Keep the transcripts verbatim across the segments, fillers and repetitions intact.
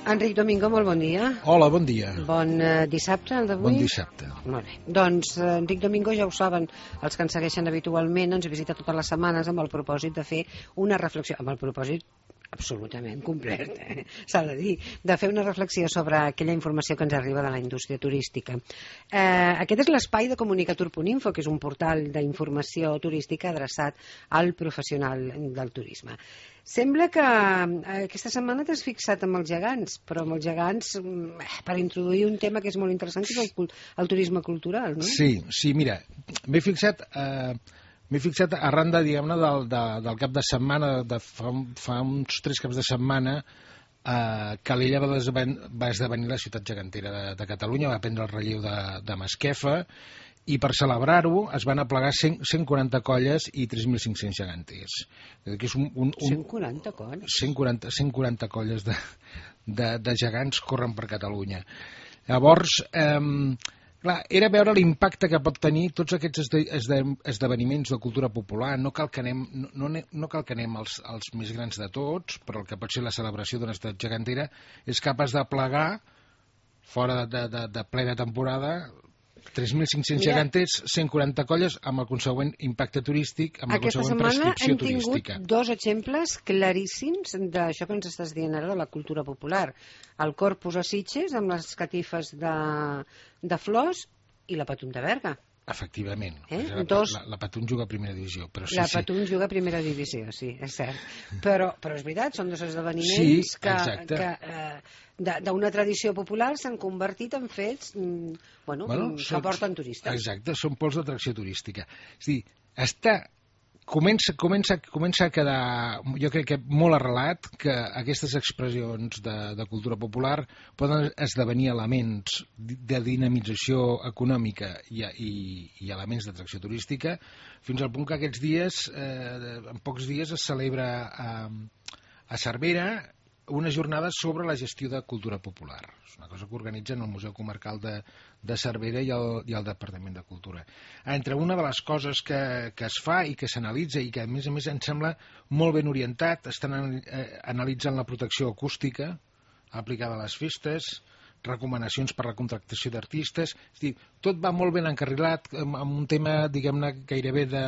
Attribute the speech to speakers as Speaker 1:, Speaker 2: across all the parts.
Speaker 1: Enric Domingo, molt bon dia.
Speaker 2: Hola, bon dia.
Speaker 1: Bon eh, dissabte, el d'avui?
Speaker 2: Bon dissabte.
Speaker 1: Molt bé. Doncs eh, Enric Domingo, ja ho saben, els que ens segueixen habitualment, ens visita totes les setmanes amb el propòsit de fer una reflexió, amb el propòsit absolutament complet, eh? s'ha de dir, de fer una reflexió sobre aquella informació que ens arriba de la indústria turística. Eh, aquest és l'espai de comunicatur punt info, que és un portal d'informació turística adreçat al professional del turisme. Sembla que eh, aquesta setmana t'has fixat amb els gegants, però amb els gegants eh, per introduir un tema que és molt interessant, que és el, el turisme cultural, no?
Speaker 2: Sí, sí, mira, m'he fixat... Eh... M'he fixat arran de, diguem-ne, del, de, del cap de setmana, de fa, fa uns tres caps de setmana, eh, Calella va, desven, va esdevenir la ciutat gegantera de, de Catalunya, va prendre el relleu de, de Masquefa, i per celebrar-ho es van aplegar cent, cent quaranta colles i tres mil cinc-cents geganters. Que és un, un, un,
Speaker 1: cent quaranta colles?
Speaker 2: cent quaranta, cent quaranta colles de, de, de gegants corren per Catalunya. Llavors... Eh, Clar, era veure l'impacte que pot tenir tots aquests esde, esde, esdeveniments de cultura popular. No cal que anem, no, no, no cal que anem als, als més grans de tots, però el que pot ser la celebració d'una ciutat gegantera és capaç de plegar, fora de, de, de plena temporada, tres mil cinc-cents geganters, cent quaranta colles, amb el consegüent impacte turístic, amb la consegüent prescripció turística.
Speaker 1: Aquesta setmana hem tingut dos exemples claríssims d'això que ens estàs dient ara, de la cultura popular. El Corpus a Sitges, amb les catifes de, de flors, i la Patum de Berga.
Speaker 2: Efectivament.
Speaker 1: Eh?
Speaker 2: La,
Speaker 1: Dos...
Speaker 2: la, la Patum juga a primera divisió. Però sí,
Speaker 1: la
Speaker 2: sí.
Speaker 1: Patum juga a primera divisió, sí, és cert. Però, però és veritat, són dos esdeveniments
Speaker 2: sí,
Speaker 1: que, que eh, d'una tradició popular s'han convertit en fets mm, bueno, bueno, que són, porten turistes.
Speaker 2: Exacte, són pols d'atracció turística. És a dir, està... Comença, comença, comença a quedar, jo crec que molt arrelat, que aquestes expressions de, de cultura popular poden esdevenir elements de dinamització econòmica i, i, i elements d'atracció turística, fins al punt que aquests dies, eh, en pocs dies, es celebra a, a Cervera una jornada sobre la gestió de cultura popular. És una cosa que organitzen el Museu Comarcal de, de Cervera i el, i el Departament de Cultura. Entre una de les coses que, que es fa i que s'analitza i que a més a més em sembla molt ben orientat, estan eh, analitzant la protecció acústica aplicada a les festes, recomanacions per a la contractació d'artistes, és a dir, tot va molt ben encarrilat amb, amb un tema, diguem-ne, gairebé de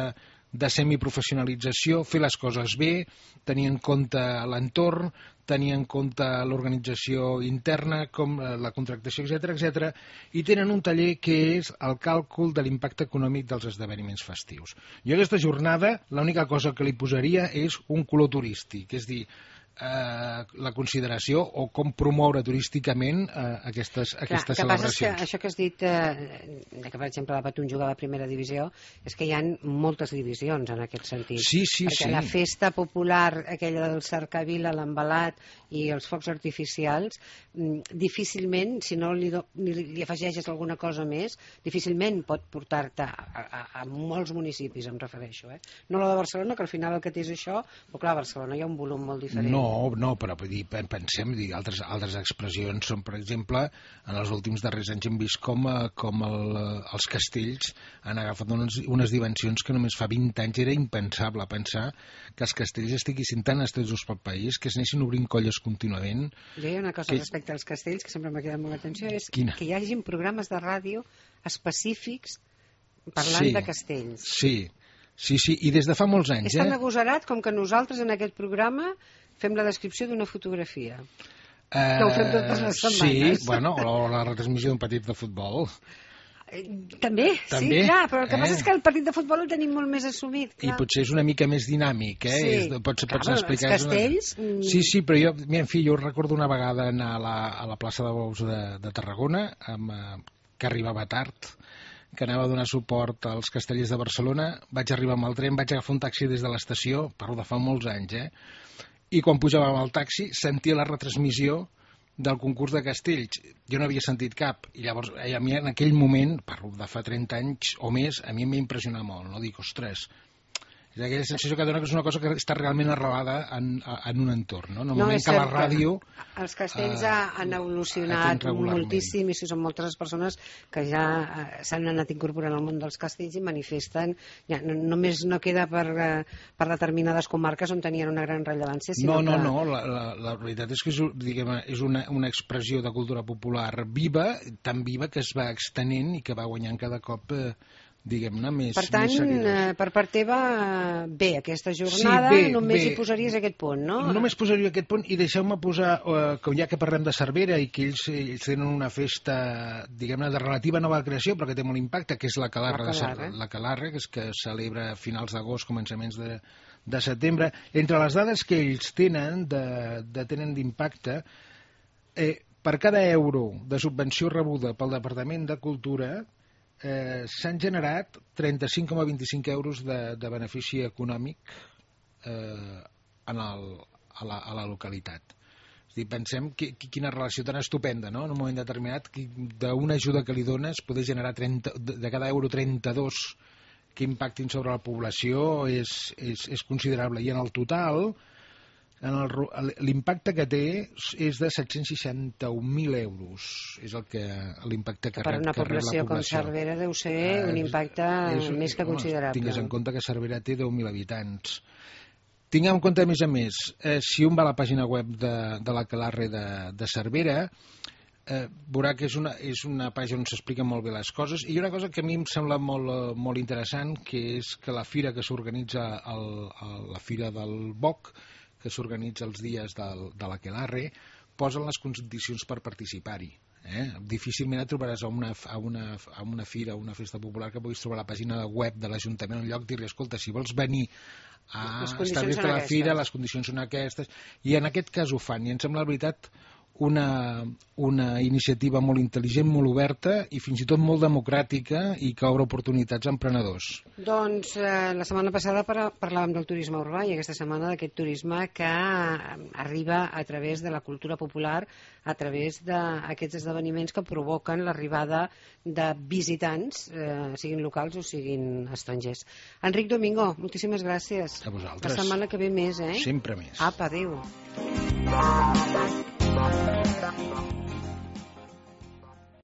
Speaker 2: de semiprofessionalització, fer les coses bé, tenir en compte l'entorn, tenir en compte l'organització interna, com la contractació, etcètera, etcètera, i tenen un taller que és el càlcul de l'impacte econòmic dels esdeveniments festius. Jo a aquesta jornada l'única cosa que li posaria és un color turístic, és dir, Eh, la consideració o com promoure turísticament eh, aquestes, aquestes
Speaker 1: Clar,
Speaker 2: celebracions.
Speaker 1: Que passa que això que has dit, eh, que per exemple la Patum jugava a primera divisió, és que hi ha moltes divisions en aquest sentit.
Speaker 2: Sí, sí,
Speaker 1: perquè
Speaker 2: sí.
Speaker 1: la festa popular, aquella del cercavila, l'embalat i els focs artificials, difícilment, si no li, do, li, li afegeixes alguna cosa més, difícilment pot portar-te a, a, a molts municipis, em refereixo. Eh? No la de Barcelona, que al final el que té és això, però clar, a Barcelona hi ha un volum molt diferent.
Speaker 2: No, No, no, però vull dir, pensem, dir, altres, altres expressions són, per exemple, en els últims darrers anys hem vist com, com el, els castells han agafat unes, unes dimensions que només fa vint anys era impensable pensar que els castells estiguessin tan estesos pel país, que es anessin obrint colles contínuament.
Speaker 1: Jo hi ha una cosa
Speaker 2: que...
Speaker 1: respecte als castells que sempre m'ha quedat molt l'atenció, és
Speaker 2: Quina?
Speaker 1: que hi hagin programes de ràdio específics parlant
Speaker 2: sí,
Speaker 1: de castells.
Speaker 2: Sí, sí, sí, i des de fa molts anys.
Speaker 1: És tan
Speaker 2: eh?
Speaker 1: agosarat com que nosaltres en aquest programa fem la descripció d'una fotografia.
Speaker 2: Uh,
Speaker 1: que ho fem totes les setmanes.
Speaker 2: Sí, bueno, o la retransmissió d'un partit de futbol.
Speaker 1: També,
Speaker 2: També,
Speaker 1: sí, clar, però el que
Speaker 2: eh?
Speaker 1: passa és que el partit de futbol el tenim molt més assumit. Clar.
Speaker 2: I potser és una mica més dinàmic, eh?
Speaker 1: Sí,
Speaker 2: és, pots,
Speaker 1: clar,
Speaker 2: pots explicar...
Speaker 1: els castells...
Speaker 2: Una... Sí, sí, però jo, mira, en fi, jo recordo una vegada anar a la, a la plaça de Bous de, de Tarragona, amb, eh, que arribava tard, que anava a donar suport als castellers de Barcelona, vaig arribar amb el tren, vaig agafar un taxi des de l'estació, parlo de fa molts anys, eh? I quan pujàvem al taxi sentia la retransmissió del concurs de castells. Jo no havia sentit cap, i llavors a mi en aquell moment, parlo de fa trenta anys o més, a mi em va impressionar molt, no? Dic, ostres, és És aquella sensació que dona que és una cosa que està realment arrelada en, en un entorn, no? En el
Speaker 1: no,
Speaker 2: moment que la ràdio...
Speaker 1: Els castells
Speaker 2: eh,
Speaker 1: han evolucionat moltíssim i són moltes les persones que ja eh, s'han anat incorporant al món dels castells i manifesten, ja, no, només no queda per, eh, per determinades comarques on tenien una gran rellevància, sinó
Speaker 2: no, no,
Speaker 1: que...
Speaker 2: no, la, la, la veritat és que és, diguem, és una, una expressió de cultura popular viva, tan viva que es va extenent i que va guanyant cada cop... Eh, diguem-ne, més,
Speaker 1: per tant,
Speaker 2: més seguidors.
Speaker 1: Per part teva, bé, aquesta jornada, sí, bé, només bé. Hi posaries aquest punt, no?
Speaker 2: Només posaria aquest punt i deixeu-me posar, eh, que ja que parlem de Cervera i que ells, ells tenen una festa, diguem-ne, de relativa nova creació, però que té molt impacte, que és la Calarra, la Calarra, de, la Calarra que és que celebra a finals d'agost, començaments de, de setembre. Entre les dades que ells tenen, de, de tenen d'impacte, eh, per cada euro de subvenció rebuda pel Departament de Cultura, Eh, s'han generat trenta-cinc coma vint-i-cinc euros de, de benefici econòmic eh, en el, a, la, a la localitat. És a dir, pensem que, que, quina relació tan estupenda, no? En un moment determinat, d'una ajuda que li dones poder generar trenta, de cada euro trenta-dos que impactin sobre la població és, és, és considerable. I en el total, l'impacte que té és de set-cents seixanta-un mil euros. És el que l'impacte que, que rep,
Speaker 1: per una
Speaker 2: que
Speaker 1: població
Speaker 2: rep la població.
Speaker 1: Com Cervera deu ser eh, un impacte és, més que considerable.
Speaker 2: Tingues en compte que Cervera té deu mil habitants. Tinguem en compte, a més a més, eh, si un va a la pàgina web de, de la Calarre de, de Cervera, eh, veurà que és una, és una pàgina on s'expliquen molt bé les coses, i una cosa que a mi em sembla molt, molt interessant, que és que la fira que s'organitza, la fira del Boc, que s'organitza els dies del, de la Calarre, posen les condicions per participar-hi. Eh? Difícilment et trobaràs a una, a, una, a una fira, a una festa popular que puguis trobar a la pàgina web de l'Ajuntament un lloc dir-li, escolta, si vols venir a establir-te a la fira, les condicions són aquestes, i en aquest cas ho fan, i em sembla la veritat una, una iniciativa molt intel·ligent, molt oberta i fins i tot molt democràtica i que obre oportunitats a emprenedors.
Speaker 1: Doncs eh, la setmana passada parlàvem del turisme urbà i aquesta setmana d'aquest turisme que arriba a través de la cultura popular, a través d'aquests esdeveniments que provoquen l'arribada de visitants, eh, siguin locals o siguin estrangers. Enric Domingo, moltíssimes gràcies.
Speaker 2: A vosaltres.
Speaker 1: La setmana que ve més, eh?
Speaker 2: Sempre més.
Speaker 1: Apa, adéu. Thank you.